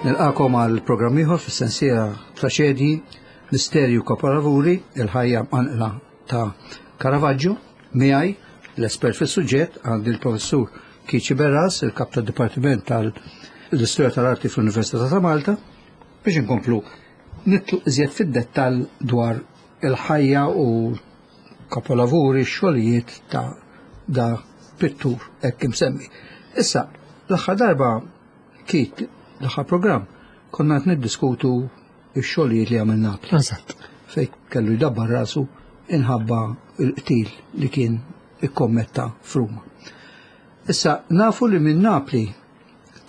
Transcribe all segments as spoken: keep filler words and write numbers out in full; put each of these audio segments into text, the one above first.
Nilqagħkom għal programm ieħor fis-sensiela Traċedji, Misterju Kapolavuri, il-ħajja mqanqla ta' Caravaggio, miegħi l-espert fis-suġġett għandi l-professur Keith Sciberras, il-kap tad-Dipartiment tal-Istorja tal-Arti fl-Università ta' Malta, biex inkomplu nidħlu iżjed fid-dettall dwar il-ħajja u kapolavuri, xogħlijiet ta' da pittur hekk imsemmi. Issa, l-aħħar darba Keith, l-aħħar programm, konna qed niddiskutu x-xogħlijiet li għamel Napli. Eżatt. Fej kellu jdabbar rasu inħabba il-qtil li kien ikkommetta f'Ruma. Issa, nafu li minn Napli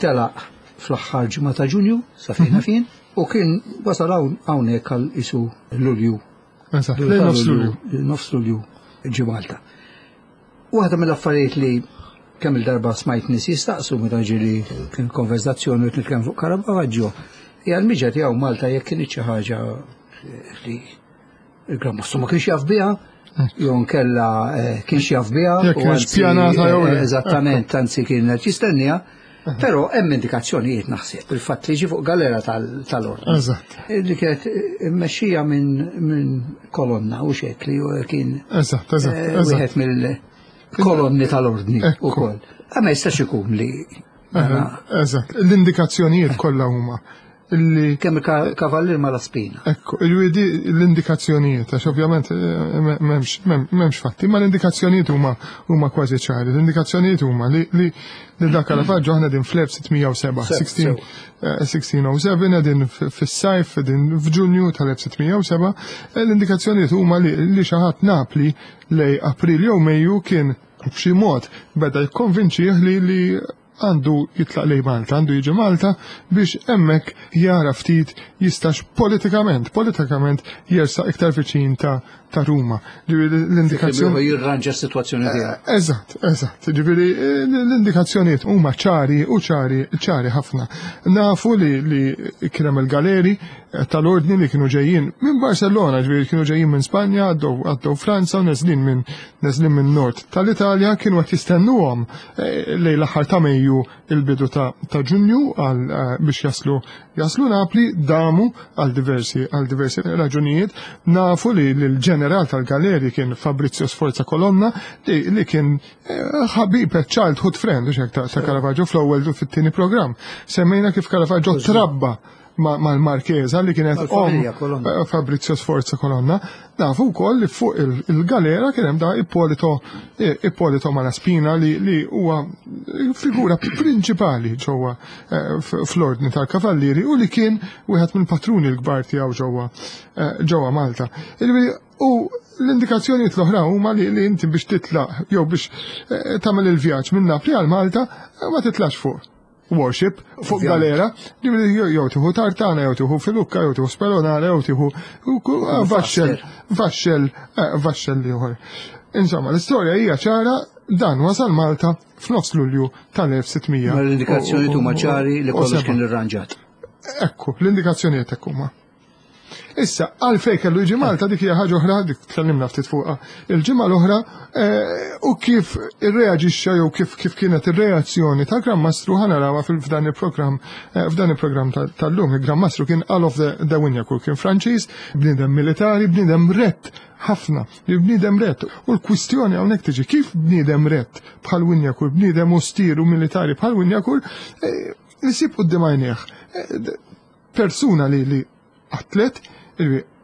telaq fl-aħħar ġimgħa ta' Ġunju, sa fejna fin, u kien wasal hawn hawnhekk għal isu Lulju. Eżatt. Lejn nofs Lulju. Nofs Lulju ġi Malta. Waħda mill-affarijiet li kemm il-darba smajt nies jistaqsu meta ġieli kien konversazzjoni u nitkellem fuq Caravaggio, hija l-miġa tiegħu Malta jekk kien xi ħaġa li il-Gran Mastru ma kienx jaf biha, jew nkella eh, kienx jaf biha. Jekk u kienx anzi, pjanata jew le. eh, Eżattament, anzi kien qed jistennija, però hemm indikazzjonijiet naħseb il-fatt li ġi fuq galera tal- tal-ordni. Eżatt. Li kienet immexxija minn min Colonna u xek li kien Eżatt, eżatt, eh, eżatt. wieħed mill-kolonni tal-ordni Ekku. ukoll. Ma jistax ikun li Eżatt. L-indikazzjonijiet kollha huma illi kemm il-kavallir Malaspina. Ekku, il-widi l-indikazzjonijiet, għax ovvjament eh, m'hemmx m'hemmx fatti, ma l-indikazzjonijiet huma huma kważi ċari. L-indikazzjonijiet huma li li li dak Caravaggio aħna din fl-elf sitt mija u sebgħa, Sew, elf sitt mija u sebgħa, din fis-sajf, din f'Ġunju tal-elf sitt mija u sebgħa, eh, l-indikazzjonijiet huma li li xi ħadd Napli lej April jew Mejju kien b'xi mod beda jikkonvinċih li li għandu jitlaq lej Malta, għandu jiġi Malta biex hemmhekk jara ftit jistax politikament, politikament jersaq iktar viċin ta' ta' Ruma. Ġifieri l-indikazzjoni. Jirranġa s-sitwazzjoni tiegħek. Eżatt, eżatt. Ġifieri l-indikazzjonijiet huma ċari u ċari ċari ħafna. Nafu li li kien hemm il-galeri tal-ordni li kienu ġejjin minn Barcellona, ġifieri kienu ġejjin minn Spanja, għaddew għaddew Franza u neżlin minn neżlin minn nord tal-Italja, kienu qed jistennuhom eh, lejn l-aħħar ta' Mejju, il-bidu ta' ta' Ġunju għal eh, biex jaslu jaslu Napli, damu għal diversi għal diversi raġunijiet. Nafu li l-ġeneral tal-galeri kien Fabrizio Sforza Colonna li, li kien eh, ħabib, childhood friend u ta' ta' Caravaggio. Fl-ewwel u fit-tieni programm semmejna kif Caravaggio trabba mal-Marchesa li kienet Mal-familja om Colonna. eh, Fabrizio Sforza Colonna. Nafu wkoll li fuq il- il-galera kien hemm da Ippolito eh, Ippolito Malaspina li, li huwa figura prinċipali ġewwa eh, f- fl-ordni tal-Kavallieri u li kien wieħed mill-patruni l-kbar tiegħu ġewwa eh, ġewwa Malta. Ġifieri, u l-indikazzjonijiet l-oħra huma li, li inti biex titlaq jew biex eh, tagħmel il-vjaġġ minn Napli għal Malta eh, ma titlax fuq warship, fuq Ovvjament. galera, ġifieri jew jew tieħu tartana, jew tieħu filukka, jew tieħu spelonara, jew tieħu vaxxel, vaxxel, eh, vaxxel ieħor. Insomma, l-istorja hija ċara, dan wasal Malta f'nofs Lulju tal-elf sitt mija. Ma l-indikazzjoni huma ċari li u kollox seba'. kien irranġat. Ekku, l-indikazzjonijiet hekk huma. Issa, għalfej kellu jiġi Malta, dik hija ħaġa oħra, dik tkellimna ftit fuqha il-ġimgħa l-oħra, eh, u kif irreaġixxa jew kif kif kienet ir-reazzjoni tal-Gran Mastru ħa narawha f'dan il-programm eh, f'dan il-programm tal-lum. Il-Gran Mastru kien Alof de, de Wignacourt, kien Franċiż, bniedem militari, bniedem rett ħafna, li bniedem rett. U l-kwistjoni hawnhekk tiġi kif bniedem rett bħal Wignacourt, bniedem ostir u militari bħal Wignacourt, eh, isib quddiem għajnejh eh, persuna li li atlet,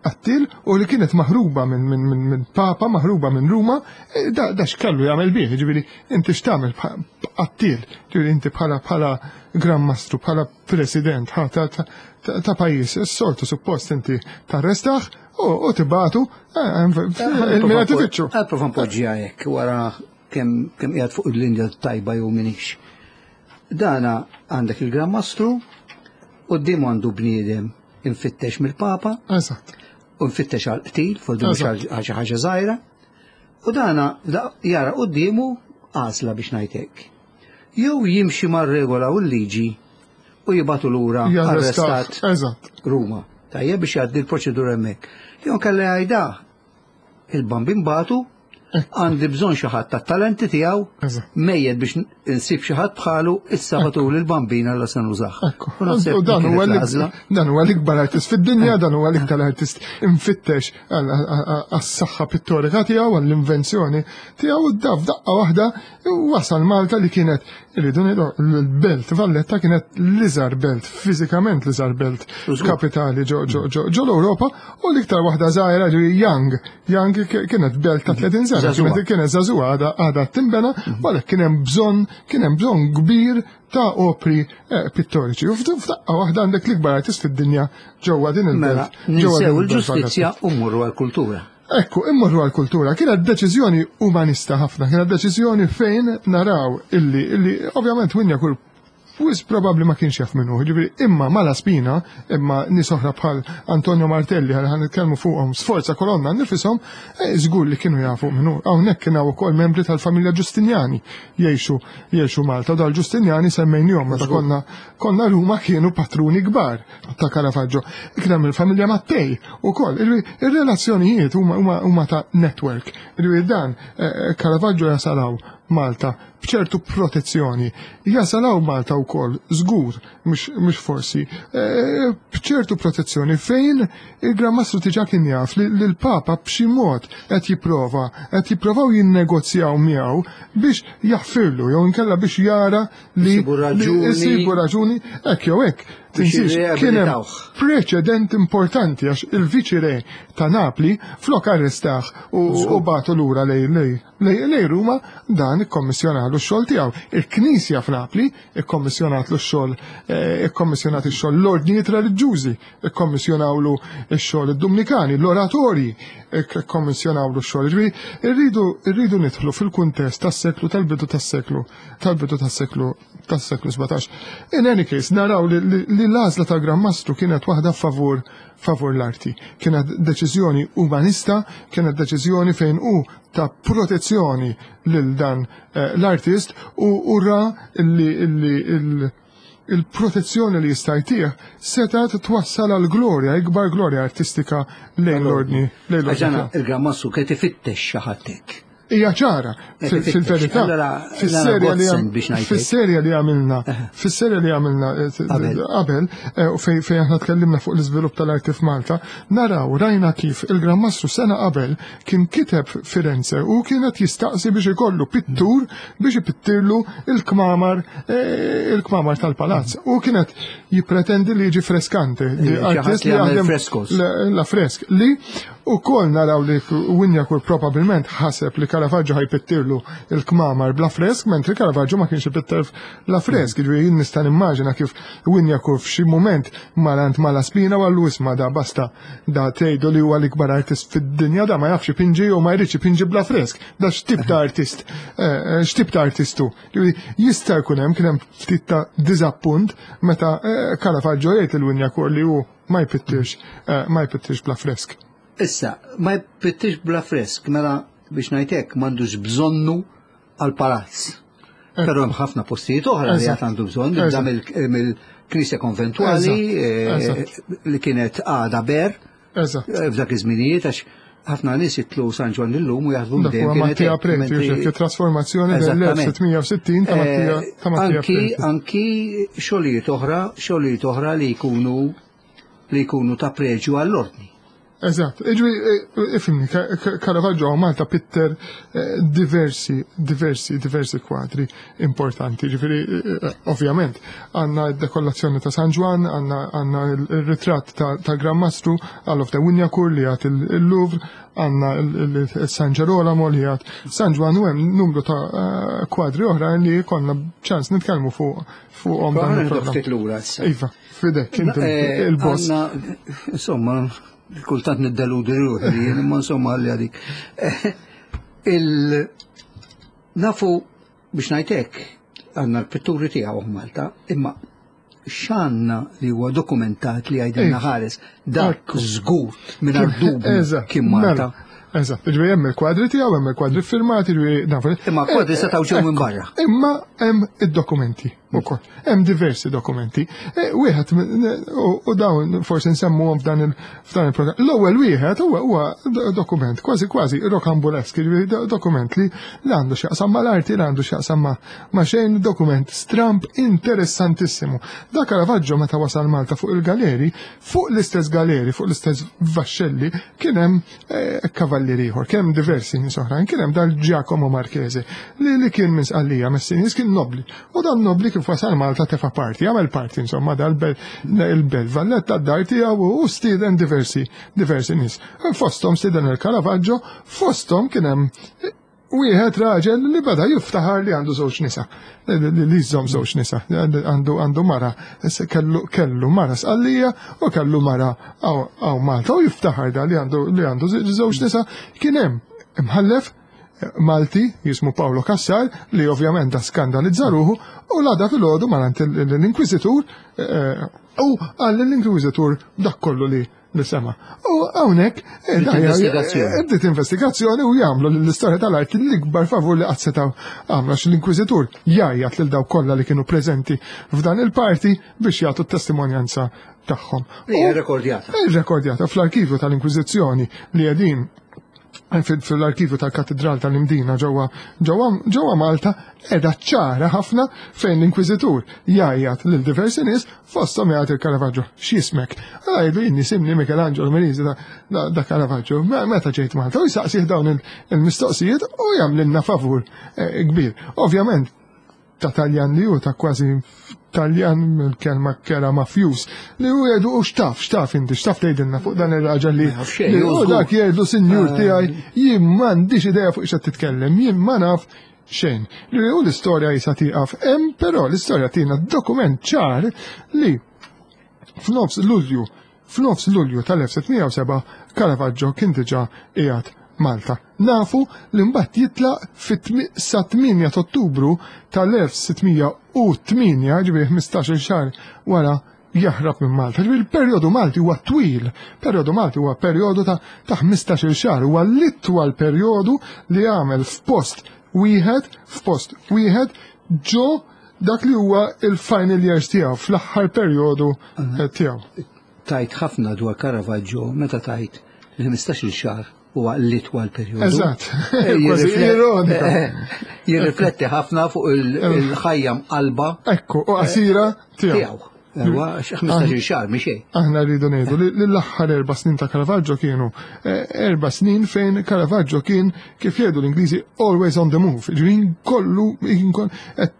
qattil u li kienet maħruba minn min, min, min papa, maħruba minn Ruma, eh, da, da x'kellu jagħmel bih, ġifieri inti x'tagħmel qattil, ġifieri inti bħala bħala Gran Mastru, bħala president ha, ta, ta, ta, ta' pajjiż, s-soltu suppost inti tarrestaħ u, u tibagħtu il-mira tifittxu. Ħa nipprova npoġġiha hekk wara kemm kemm qiegħed fuq il-linja tajba jew minix. Dana għandek il-Gran Mastru, quddiemu għandu bniedem infittex mill-Papa, Eżatt. u nfittex għal qtil, fuq mhux għal xi ħaġa żgħira. U dana da- jara quddiemu għażla biex ngħid hekk. Jew jimxi mar-regola u l-liġi u jibagħtu lura Jarrestaħ. arrestat Eżatt. Ruma. Tajjeb, biex jgħaddi l-proċedura hemmhekk. Jew kella jgħidha il-bambin batu Għandi bżonn xi ħadd tat-talenti tiegħu, mejjed biex insib xi ħadd bħalu issa batul il-bambina la se nużah. U dan huwa dan huwa l-ikbar artist fid-dinja, dan huwa l-iktar artist imfittex għas-saħħa pittorika tiegħu, għall-invenzjoni tiegħu, u daf daqqa waħda wasal Malta li kienet, irridu ngħidu, l-belt Valletta kienet l-iżgħar belt, fiżikament l-iżgħar belt kapitali ġo l-Ewropa, u l-iktar waħda żgħira Young, Young kienet belt ta' tletin sena. Kienet żagħżugħa għadha timbena, u għalhekk kien hemm bżonn kien hemm bżonn kbir ta' opri pittoriċi. U f'daqqa waħda għandek l-ikbar artist fid-dinja ġewwa din il-belt. Ninsew il-ġustizzja u mmorru għall-kultura. Ekku, immorru għall-kultura. Kienet deċiżjoni umanista ħafna, kienet deċiżjoni fejn naraw illi illi ovvjament Wignacourt wis probabbli ma kienx jaf minnu, ġifieri imma Malaspina, imma nies oħra bħal Antonio Martelli, ħa nitkellmu fuqhom, Sforza Colonna nifishom, żgur li kienu jafu minnu. Hawnhekk kien hawn ukoll membri tal-familja Ġustinjani jgħixu jgħixu Malta, u dal-Ġustinjani semmejnihom meta konna konna Ruma, kienu patruni kbar ta' Caravaggio. Kien hemm il-familja Mattei ukoll. Ir-relazzjonijiet huma huma ta' network. Ġifieri dan Caravaggio jasalaw Malta b'ċertu protezzjoni. Jasalaw Malta wkoll żgur, mhux forsi, b'ċertu protezzjoni fejn il-Gran Mastru diġà kien jaf li l-Papa b'xi mod qed jipprova, qed jipprovaw jinnegozjaw miegħu biex jaħfirlu jew inkella biex jara li jsibu raġuni hekk jew hekk. Tinsiex kien hemm preċedent importanti għax il-viċi-re ta' Napli flok arrestah u bagħtu lura lej lej Ruma, dan ikkommissjonalu x-xogħol tiegħu. Il-Knisja f'Napli ikkommissjonatlu x-xogħol, ikkommissjonat ix-xogħol l-ordnijiet reliġjużi, ikkommissjonawlu x-xogħol id-Dumnikani, l-oratorji ikkommissjonawlu x-xogħol. Ġifieri irridu irridu nidħlu fil-kuntest tas-seklu tal-bidu tas-seklu tal-bidu tas-seklu tas-seklu sbatax. In any case, naraw li l-għażla tal-Gran Mastru kienet waħda favur favur l-arti. Kienet deċiżjoni umanista, kienet deċiżjoni fejn hu ta' protezzjoni lil dan l-artist u ra li il-protezzjoni li jista' jtih setgħet twassal għal glorja, ikbar glorja artistika lejn l-ordni. Għax il-Gran Mastru kien ifittex xi ħadd hekk. Hija ċara, fil-verità, fis-serja li għamilna, fis-serja li għamilna qabel, u fejn aħna tkellimna fuq l-iżvilupp tal-arti f'Malta, naraw rajna kif il-Gran Mastru sena qabel kien kiteb Firenze u kienet jistaqsi biex ikollu pittur biex ipittirlu il-kmamar il-kmamar tal-palazz. U kienet jippretendi li jiġi freskante, artist li jaħdem la fresk, li u kol naraw li Wignacourt probabilment ħaseb li Caravaggio ħajpittirlu il-kmamar bla fresk, mentri Caravaggio ma kienx ipitter la fresk. Ġifieri jien nista' nimmaġina kif Wignacourt f'xi mument marant Malaspina u għallu isma' da basta da tgħidu li huwa l-ikbar artist fid-dinja, da ma jafx ipinġi u ma jridx ipinġi bla fresk. Da x'tip ta' artist, x'tip ta' artistu. Jista' jkun hemm kien hemm ftit ta' diżappunt meta Caravaggio jgħid il Wignacourt li hu ma jpittirx ma jpittirx bla fresk. Issa, ma jpittirx bla fresk, mela biex ngħidlek m'għandux bżonnu għal palazz. Però hemm ħafna postijiet oħra li għad għandu bżonn, nibda mill-Knisja Konventwali li kienet għada ber f'dak iż-żminijiet, għax ħafna nies jitlu San Ġwann illum u jaħdmu dejjem. Mattia Preti, trasformazzjoni dell-elf sitt mija u sittin ta' Mattia Preti. Anki xogħlijiet oħra, xogħlijiet oħra li jkunu li jkunu ta' preġju għall-ordni. Eżatt, ġifieri, ifhimni, Caravaggio Malta pitter diversi, diversi, diversi kwadri importanti. Ġifieri, ovvjament, għandna d-dekollazzjoni ta' San Ġwann, għandna il-ritratt ta' Gran Mastru, Alof de Wignacourt li għat il-Louvre, għandna il-San Gerolamo li għat San Ġwann, u hemm numru ta' kwadri oħra li konna ċans nitkellmu fuq fuqhom dan il-programm. Iva, fidek, inti il-boss. Insomma, kultant niddeludi ruħi, imma insomma għalli għadik. Il nafu biex ngħidlek għandna l-pitturi tiegħu Malta, imma x'għandna li huwa dokumentat li għajdilna ħares dak żgur mingħajr dubju kien Malta. Eżatt, ġifieri hemm il-kwadri tiegħu, hemm il-kwadri firmati, ġifieri nafu. Imma kwadri setgħu ġew minn barra. Imma hemm id-dokumenti. Ukoll. Hemm diversi dokumenti. Wieħed u dawn forsi nsemmuhom f'dan il-programm. L-ewwel wieħed huwa huwa dokument kważi kważi rokambolesk, dokument li għandu x'jaqsam mal-arti, li għandu x'jaqsam ma' xejn, dokument stramp interessantissimu. Da Caravaggio meta wasal Malta fuq il-galeri, fuq l-istess galeri, fuq l-istess vaxxelli, kien hemm kavallieri ieħor, kien hemm diversi nies oħrajn, kien hemm dal Giacomo Marchese li kien minn Sqallija, Messinis, kien nobli. U dan nobli kif wasal Malta tefa parti, għamel parti insomma dal-bel Valletta d-dar tiegħu u stieden diversi diversi nies. Fosthom stieden il-Caravaggio, fosthom kien hemm wieħed raġel li beda jiftaħar li għandu żewġ nisa, li jżomm żewġ nisa, għandu għandu mara, kellu kellu mara Sqallija u kellu mara għaw Malta u jiftaħar da li għandu li għandu żewġ nisa. Kien hemm imħallef Malti jismu Paolo Cassar li ovvjament da skandalizza ruħu u l-għada fil-ħodu malant l-Inkwiżitur u għall l-Inkwiżitur dak kollu li li sema. U hawnhekk bdiet investigazzjoni u jagħmlu l-istorja tal-arti l-ikbar favur li qatt setgħu għamlu għax l-Inkwiżitur jgħajjat lil dawk kollha li kienu preżenti f'dan il-parti biex jagħtu t-testimonjanza tagħhom. Hija rekordjata. Rekordjata fl-arkivju tal-Inkwiżizzjoni li qegħdin fil-arkivju tal-Katedral tal-Imdina ġewwa Malta qiegħda ċara ħafna fejn l-Inkwiżitur jgħajjat lil diversi nies fosthom jgħid il-Caravaggio x'ismek. Għajdu jien nisimni Michelangelo Merisi da Caravaggio meta ġejt Malta u jsaqsih dawn il-mistoqsijiet u jagħmlilna favur kbir. Ovvjament ta' Taljan li hu ta' kważi Taljan mill-kelma kera mafjus li hu jgħidu u x'taf, x'taf inti, x'taf tgħidilna fuq dan ir-raġel li u dak jgħidu sinjur tiegħi jien m'għandix idea fuq x'qed titkellem, jien ma naf xejn. Li hu l-istorja jisa tieqaf hemm, però l-istorja tina dokument ċar li f'nofs Lulju, f'nofs Lulju tal-elf sitt mija u seba' Caravaggio kien diġà qiegħed Malta. Nafu li mbagħad jitlaq fit sa tmienja ta' Ottubru tal-elf sitt mija u tmienja, ġifieri ħmistax-il xahar wara jaħrab minn Malta. Ġifieri il-perjodu Malti huwa twil, perjodu Malti huwa perjodu ta' ħmistax-il xahar, huwa l-itwal perjodu li għamel f'post wieħed, f'post wieħed ġo dak li huwa il-final years tiegħu, fl-aħħar perjodu tiegħu. Tajt ħafna dwar Caravaggio meta tajt il-ħmistax-il xahar huwa l-itwal perjodu. Eżatt. Kważi ironika. Jirrifletti ħafna fuq il-ħajja mqalba. Ekku, u qasira tiegħu. Huwa ħmistax-il xahar mhix xejn. Aħna rridu ngħidu li l-aħħar erba' snin ta' Caravaggio kienu erba' snin fejn Caravaggio kien kif jgħidu l-Ingliżi always on the move. Ġifieri kollu qed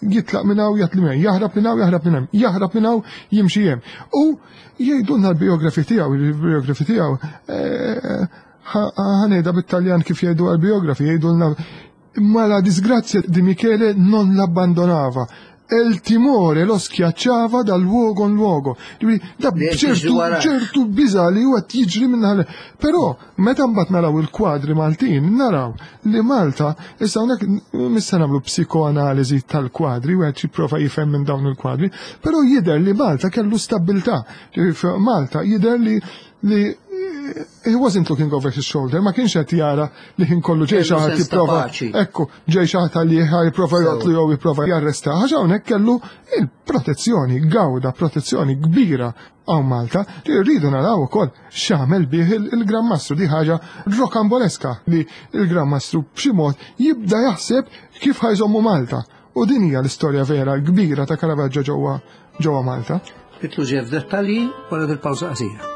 jitlaq minn hawn jatli minn hemm, jaħrab minn hawn jaħrab minn hemm, jaħrab minn hawn jimxi hemm. U jgħidulna l-biografi tiegħu, il-biografi tiegħu ħanejda bit-Taljan kif jgħidu għal-biografi, jgħidulna ma la disgrazia di Michele non l'abbandonava. E il timore lo schiacciava da luogo in luogo. Da ċertu ċertu biża li huwa jiġri minn ħal. Però meta mbagħad naraw il-kwadri Maltin, naraw li Malta issa hawnhekk missa nagħmlu psikoanaliżi tal-kwadri, wieħed jipprova jifhem minn dawn il-kwadri, però jidher li Malta kellu stabbiltà. Malta jidher li li he wasn't looking over his shoulder, ma kienx qed jara li ħin kollu ġej xi ħadd jipprova. Ekku, ġej xi ħadd li jipprova joqtlu jew jipprova jarresta. Għax hawnhekk kellu il-protezzjoni, gawda protezzjoni kbira hawn Malta li rridu naraw ukoll x'għamel bih il-Gran Mastru. Di ħaġa rokamboleska li il-Gran Mastru b'xi mod jibda jaħseb kif ħajżommu Malta. U din hija l-istorja vera kbira ta' Caravaggio ġewwa ġewwa Malta. Nidħlu ġej f'dettalji wara dil-pawża qasira.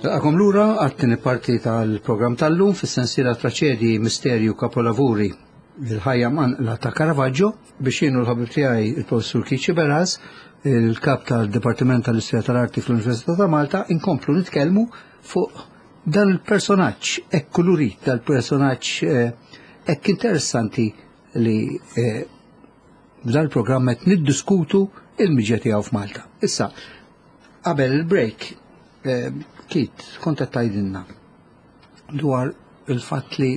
Nilqakom lura għat-tieni parti tal-programm tal-lum fis-sensiela Traċedji, Misterju, Kapolavuri, il-ħajja mqanqla ta' Caravaggio, biex jienu l-ħabib tiegħi il-Professur Keith Sciberras, il-kap tal-Dipartiment tal-Istorja tal-Arti fl-Università ta' Malta, inkomplu nitkellmu fuq dan il-personaġġ hekk kulurit, dal-personaġġ hekk interessanti li eh, b'dan il-programm qed niddiskutu il-miġja tiegħu f'Malta. Issa, qabel il-break, eh, Kit, kont qed tgħidilna dwar il-fatt li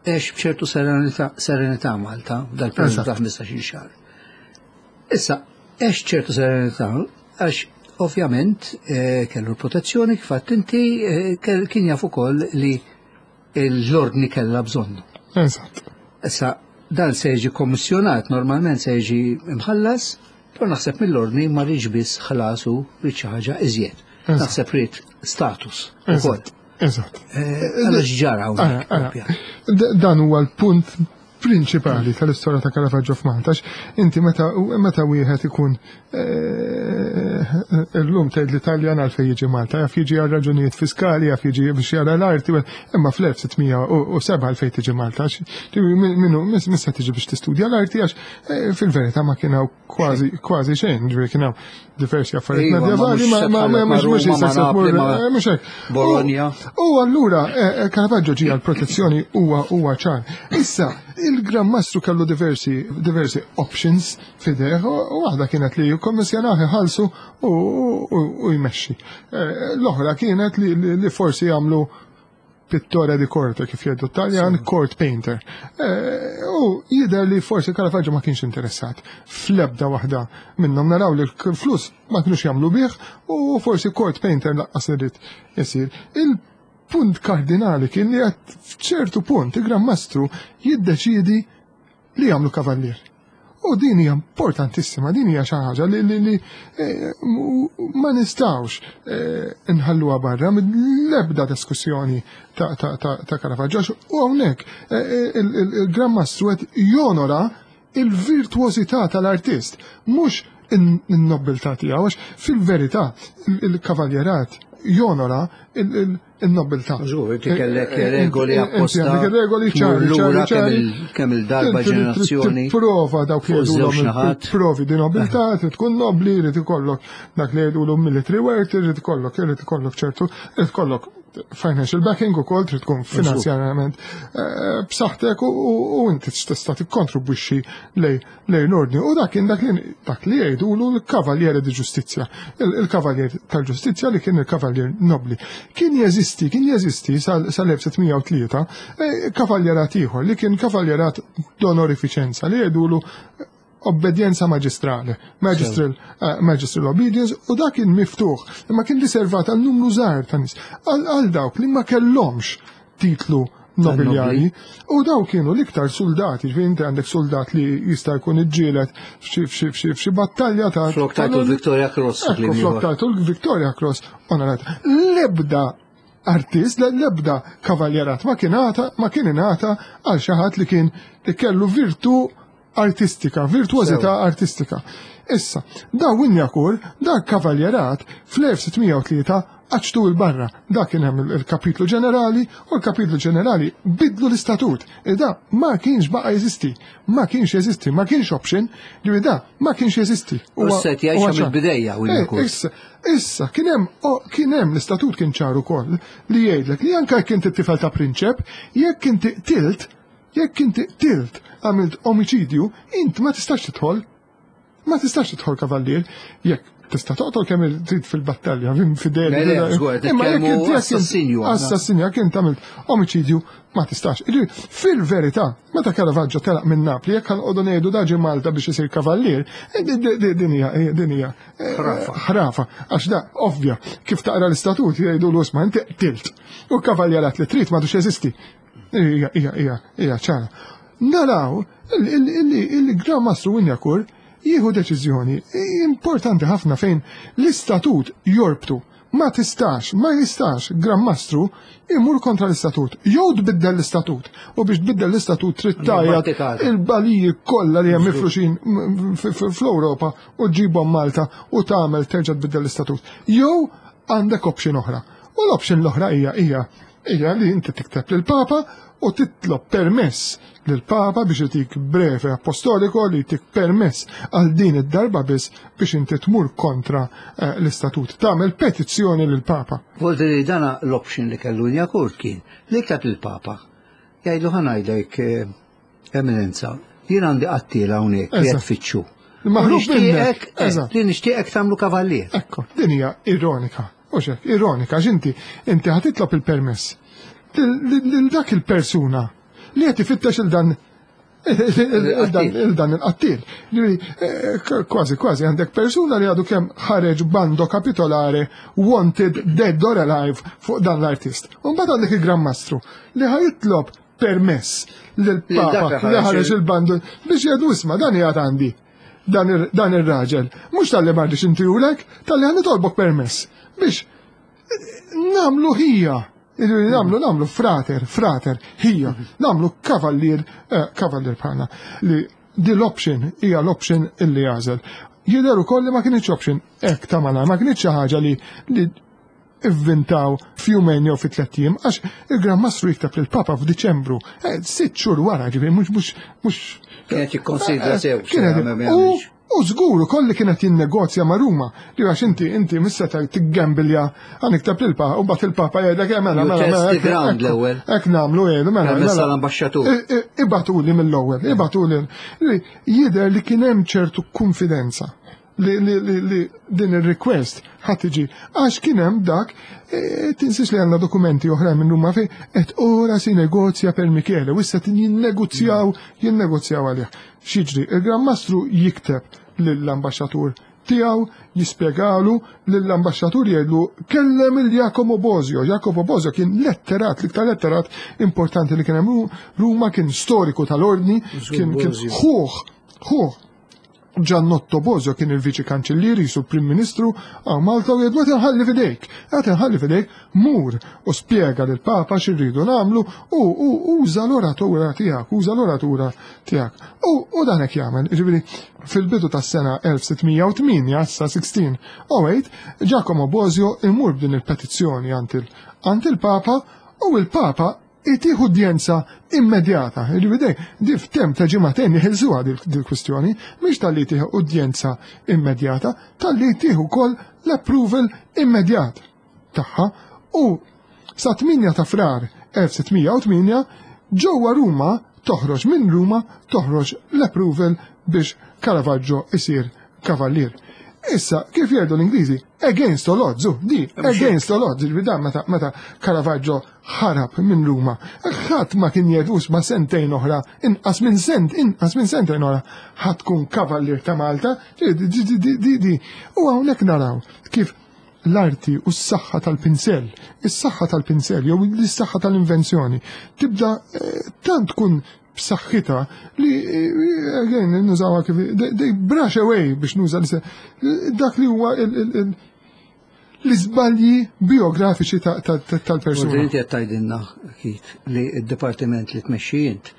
għex b'ċertu serenità serenità Malta dal-periodu ta' ħmistax-il xahar. Issa, għex ċertu serenità għax ovvjament eh, kellu l-protezzjoni kif għedt inti eh, kell- kien jaf ukoll li l-ordni kellha bżonnu. Eżatt. Issa, dan se jiġi kommissjonat, normalment se jiġi imħallas, però naħseb mill-ordni ma riedx biss ħlasu ried xi ħaġa iżjed. Eżatt. Naħseb ried status ukoll. Eżatt. Eżatt. Eh, Għala x'ġara hawnhekk, Ara, ara. propja. D- Dan huwa l-punt prinċipali tal-istorja ta' Caravaggio f'Malta. Għax inti meta meta wieħed ikun eh, illum tgħid l-Italjan għalfejn jiġi Malta, jaf jiġi għal raġunijiet fiskali, jaf jiġi biex jara l-arti, imma fl-elf sitt mija u sebgħa għalfejn tiġi Malta, għax minnu missa tiġi biex tistudja l-arti, għax eh, fil-verità ma kien hawn kważi kważi xejn, ġifieri kien hawn diversi affarijiet Iva, ma medjevali, mhux ma ma ma ma mhux mhux Ruma, ma jista' Napli, ma eh, mhux hekk. Bologna. U allura eh, eh, Caravaggio ġie għal protezzjoni huwa huwa ċar. Issa, il-Gran Mastru kellu diversi diversi options f'idejh u u waħda kienet li jikkommissjonah, iħallsu u, u, u jmexxi. Eh, L-oħra kienet li, li, li forsi jagħmlu pittore di corte, kif jgħidu Taljan, court painter. Eh, U jidher li forsi Caravaggio ma kienx interessat fl-ebda waħda minnhom. Naraw li l-flus ma kienux jagħmlu bih u forsi court painter lanqas irid isir. Il-punt kardinali kien li għat f'ċertu punt il-Gran Mastru jiddeċidi li jagħmlu kavallier. U din hija importantissima, din hija xi ħaġa li, li, li eh, ma nistgħux eh, nħalluha barra mill-ebda diskussjoni ta', ta, ta, ta' Caravaggio. Għax u hawnhekk eh, il- il- il-Gran Mastru qed jonora il-virtuosità tal-artist, mhux in-nobiltà tiegħu, għax fil-verità il-kavaljerat jonora il-nobiltà. Żgur, inti kellek regoli apposta. Inti għandek regoli ċari, tmur lura ċari, ċari. kemm il- kemm il-darba Inti trid ġenerazzjoni. Tipprova dawk li fuq żewġ jgħidulhom naħat. provi di nobiltà, trid tkun nobli, trid ikollok dak li jgħidulhom military work, trid ikollok, trid ikollok ċertu, trid ikollok financial backing ukoll, trid tkun finanzjarjament eh, b'saħħtek u- u u inti tista' tikkontribwixxi lej lej l-ordni. U dak kien dak li dak li jgħidulu l-Cavaliere di Giustizia, il-Kavaljer tal-Ġustizzja li kien il-Kavaljer nobli. Kien jeżisti, kien jeżisti sal-elf sitt mija u tlieta eh, kavaljerat ieħor li kien kavaljerat d'onorificenza li jgħidulu obbedienza magistrale, magistral, uh, magistral obedience, u dak kien miftuħ, imma kien riservat għal numru żgħar ta' nies, għal għal dawk li ma kellhomx titlu nobiljari, u daw kienu l-iktar soldati, ġifieri inti għandek soldat li jista' jkun iġġielet f'xi f'xi f'xi f'xi battalja ta' Flok tajtu l-Victoria Cross. Ekku, flok tajtu l-Victoria Cross onorat. L-ebda artist, l-ebda kavaljerat ma kien għata, ma kien ingħata għal xi ħadd li kien li kellu virtu artistika, virtuosità artistika. Issa, da Wignacourt, da kavaljerat fl-elf sitt mija u tlieta għaċtu il-barra. Da kien hemm il-kapitlu ġenerali u l-kapitlu ġenerali bidlu l-istatut. E da ma kienx baqa jeżisti, ma kienx jeżisti, ma kienx option, li da ma kienx jeżisti. U set jgħixha huwa ċar. mill-bidejja, Wignacourt. Eh, Issa, issa, kien hemm oh, kien hemm l-istatut kien ċar ukoll li jgħidlek li anke jekk inti tifel ta' prinċep, jekk inti qtilt, jekk inti qtilt, għamilt omicidju, int ma tistax tidħol. Ma tistax tidħol kavallier, jekk tista' toqtol kemm trid fil-battalja, fideli. Le, le, żgur, Imma jekk nitkellmu inti- jekk inti- assassinju aħna. Assassinju, jekk inti għamilt omicidju, ma tistax. Jiġifieri, fil-verità, meta Caravaggio telaq minn Napli, jekk ħanqogħdu ngħidu da ġie Malta biex isir kavallier, eh, di- di- di- din hija din hija eh, Ħrafa. ħrafa, għax da ovvja, kif taqra l-istatut jgħidu l-usma inti qtilt. U kavaljerat li trid m'għadux jeżisti. Hija hija hija hija ċara. Naraw il-Gran Mastru Wignacourt jieħu deċiżjoni importanti ħafna fejn l-istatut jorbtu. Ma tistax, ma jistax Gran Mastru imur kontra l-istatut. Jew tbiddel l-istatut. U biex tbiddel l-istatut trid tgħajjat Battikata. il-baliji kollha li hemm mifruxin m- f- f- fl-Ewropa u ġibhom Malta u tagħmel terġa' tbiddel l-istatut. Jew għandek option oħra. U l-option l-oħra hija hija hija li inti tikteb lill-Papa u titlob permess lill-Papa biex itik breve apostoliko li jtik permess għal din id-darba biss biex inti tmur kontra eh, l-istatut. Tagħmel petizzjoni lill-Papa. Volti li dana l-option li kellu Wignacourt kien li kteb il-Papa. Jgħidlu, ħa ngħidlek eh, Eminenza, jien għandi qattiela hawnhekk li qed tfittxu. Maħrub minnek. Li nixtieqek tagħmlu kavallier. Ekku, din hija ironika. U xek, ironika, x'inti inti ħa titlob il-permess lil dak il-persuna li qed ifittex il dan il-dan il-qattil. Kważi kważi għandek persuna li għadu kemm ħareġ bando kapitolare wanted dead or alive fuq dan l-artist. U mbagħad għandek il-Gran Mastru li ħa jitlob permess lill-Papa li ħareġ il-bando biex jgħidu isma' dan jgħad għandi dan ir-raġel. Mhux talli m'għandix intihulek, talli ħa nitolbok permess biex nagħmlu ħija. Nagħmlu, nagħmlu frater, frater, ħija, nagħmlu kavallier, kavallier bħalna. Li di l-option hija l-option illi jagħżel. Jidher ukoll li ma kienx option hekk ta' malajr, ma kienx xi ħaġa li li ivvintaw f'jumejn jew fi tliet ijiem, għax il-Gran Mastru jikteb lill-Papa f'Diċembru, sitt xhur wara, ġifieri mhux mhux mhux. Kienet jikkonsidra sew. U żgur ukoll li kienet jinnegozja ma' Ruma, li għax inti inti missa tiggambilja għan iktab lill-Papa u mbagħad il-Papa jgħidlek mela mela mela. Hekk nagħmlu jgħidu mela. Mela l-ambaxxatur. Ibatuli mill-ewwel, ibatuli. Jidher li kien hemm ċertu konfidenza li li li din ir-request ħadd tiġi għax kien hemm dak, tinsiex li għandna dokumenti oħra minn Ruma fejn qed ora si negozja per Michele u issa jinnegozjaw jinnegozjaw għalih. X'jiġri? Il-Gran Mastru jikteb lill-ambaxxatur tiegħu, jispjegalu lill-ambaxxatur jgħidlu kellem il Jacopo Bosio. Jacopo Bosio kien letterat, l-iktar letterat importanti li kien hemm Ruma, kien storiku tal-ordni, kien ħuh, ħuh Giannotto Bosio kien il-viċi kanċellieri su prim ministru għaw Malta u jgħidu qed inħalli f'idejk, qed inħalli f'idejk, mur u spjega lil Papa x'irridu nagħmlu u uża l-oratura tiegħek, uża l-oratura tiegħek. U dan hekk jagħmel, jiġifieri fil-bidu tas-sena elf sittmija u tmienja, sa sixteen oh eight, Giacomo Bosio imur b'din il-petizzjoni għand il-Papa u il-Papa itih udjenza immedjata. Jiġifieri di f'temp ta' ġimagħtejn jeħilsuha dil-kwistjoni, mhix talli tieħu udjenza immedjata, talli tieħu wkoll l-approval immedjat tagħha. U sa tmienja ta' Frar elf sittmija u tmienja ġewwa Ruma toħroġ minn Ruma toħroġ l-approval biex Caravaggio isir kavallier. Issa, kif jgħidu l-Ingliżi, against all odds, di, against all odds, ġifieri dan meta meta Caravaggio ħarab minn Ruma, ħadd ma kien jgħid ma sentejn oħra, inqas minn sent, inqas minn sentejn oħra, ħadd tkun kavallier ta' Malta, di, di, di, di, di. U hawnhekk naraw kif l-arti u s-saħħa tal-pinsell, is-saħħa tal-pinsell jew is-saħħa tal-invenzjoni tibda tant tkun b'saħħitha li again nużawha kif they brush away biex nuża dak li huwa l-iżbalji biografiċi tal-persuna. Inti qed tgħidilna Keith li d-dipartiment li tmexxi int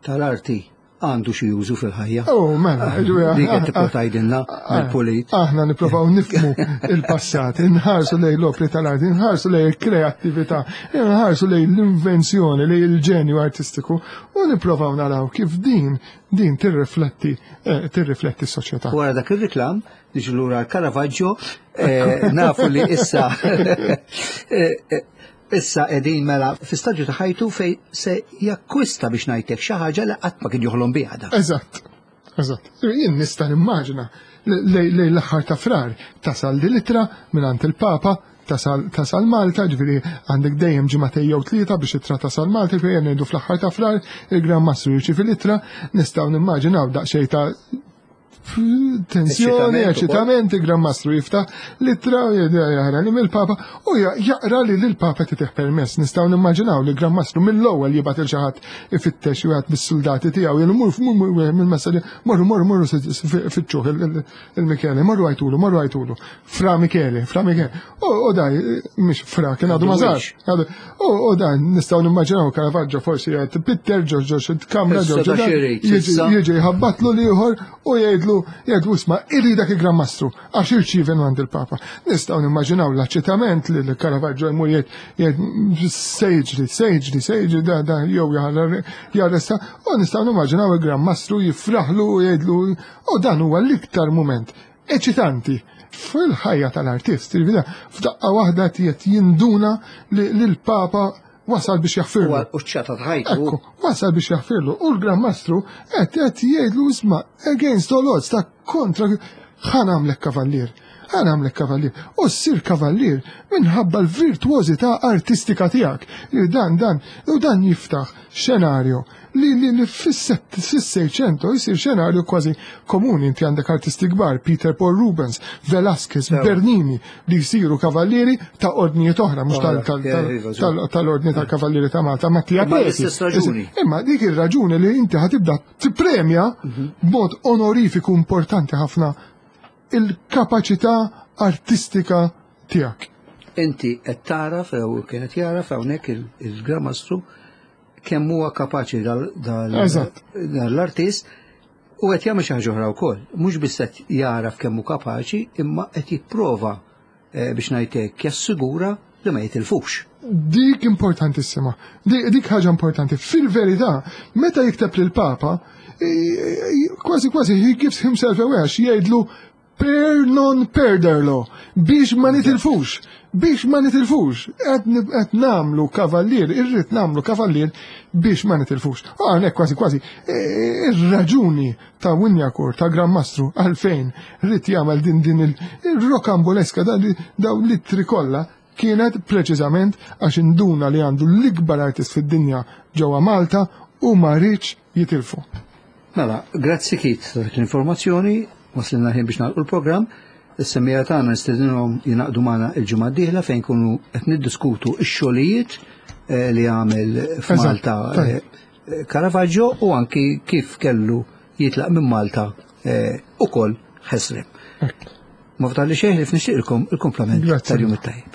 tal-arti għandu xi użu fil-ħajja. Oh, mela, dik qed tipprova tgħidilna mill-pulit. Aħna nippruvaw nifhmu il-passat, inħarsu lejn l-opri tal-arti, inħarsu lejn il-kreattività, inħarsu lejn l-invenzjoni, lejn il-ġenju artistiku u nippruvaw naraw kif din din tirrifletti tirrifletti s-soċjetà. Wara dak ir-reklam niġu lura Caravaggio, nafu li issa issa qegħdin mela fi staġġu ta' ħajtu fej se jakkwista biex ngħidlek xi ħaġa li qatt ma kien joħlom biha da. Eżatt, eżatt. Jien nista' nimmaġina lejn l-aħħar ta' Frar tasal di litra mingħand il-Papa tasal, tasal Malta, ġifieri għandek dejjem ġimagħtejn jew tlieta biex ittra tasal Malta, ġifieri ngħidu fl-aħħar ta' Frar il-Gran Mastru jirċievi litra, nistgħu nimmaġinaw daqsxejn ta' tensjoni, eċitament, il-Gran Mastru jiftaħ litra jaqra li mill-Papa u jaqra li l-Papa titih permess. Nistgħu nimmaġinaw li l-Gran Mastru mill-ewwel jibgħat il xi ħadd ifittex wieħed mis-soldati tiegħu, jgħidu mur mill-messaġġ, morru morru morru fittxuh il-Michele, morru għajtulu, morru għajtulu. Fra Michele, Fra Michele. U daj, mhix Fra, kien għadu ma sarx. U daj, nistgħu nimmaġinaw Caravaggio forsi jgħid Peter ġo ġo kamra ġo jiġi jħabbatlu l-ieħor u jgħidlu jgħidu isma' irridak il-Gran Mastru għax irċievi għand il-Papa. Nistgħu nimmaġinaw l-aċċettament li l-Caravaggio jmur jgħid se jiġri, se jiġri, se jiġri da da jew jarresta, u nistgħu nimmaġinaw il-Gran Mastru jifraħlu u jgħidlu u dan huwa l-iktar mument eċitanti fil-ħajja tal-artist. F'daqqa waħda qed jinduna li l-Papa Wasal biex jaħfirlu. U ċata ħajtu. Ekku, wasal biex jaħfirlu. U l-Gran Mastru qed qed jgħidlu, "Isma', against all odds, ta' kontra, ħa nagħmlek kavallier. Ħa nagħmlek kavallier." U ssir kavallier minħabba l-virtuożità artistika tiegħek. Li dan dan u dan jiftaħ xenarju li li li fis-Seicento jisir xenarju kważi komuni. Inti għandek artisti kbar, Peter Paul Rubens, Velasquez, Bernini, li jsiru kavallieri ta' ordnijiet oħra, mhux tal-ordni tal-Kavallieri ta' Malta, ma tiegħek. Imma dik ir-raġuni li inti ħa tibda tippremja mhm. b'mod onorifiku importanti ħafna il-kapaċità artistika tiegħek. Inti qed tara jew kienet jaraf hawnhekk il-Gran Mastru kemm huwa kapaċi dal-artist u qed jagħmel xi ħaġa oħra wkoll. Mhux biss qed jaraf kemm hu kapaċi, imma qed jipprova, eh, biex ngħidlek, jassigura li ma jitilfux. Dik importantissima. Dik ħaġa importanti. Fil-verità, meta jikteb lil Papa, kważi kważi he gives himself away għax jgħidlu "per non perderlo", biex ma nitilfux, biex ma nitilfux, qed nagħmlu kavallier, irrid nagħmlu kavallier biex ma nitilfux. Hawnhekk kważi kważi e, ir-raġuni ta' Wignacourt, ta' Gran Mastru, għalfejn ried jagħmel din din il-rokamboleska daw l-ittri kollha kienet preċiżament għax induna li għandu l-ikbar artist fid-dinja ġewwa Malta u ma riedx jitilfu. Mela, grazzi Kit l-informazzjoni, waslilna ħin biex nagħlqu l-programm. Is-semmiegħa tagħna nistedinhom jingħaqdu magħna il-ġimgħa d-dieħla fejn kunu qed niddiskutu x-xogħlijiet eh, li għamel f'Malta eh, Caravaggio u anki kif kellu jitlaq minn Malta eh, ukoll ħesrem. Ma fdalli xejn ħlief nixtieqilkom il-kumplament tal-jum it-tajjeb.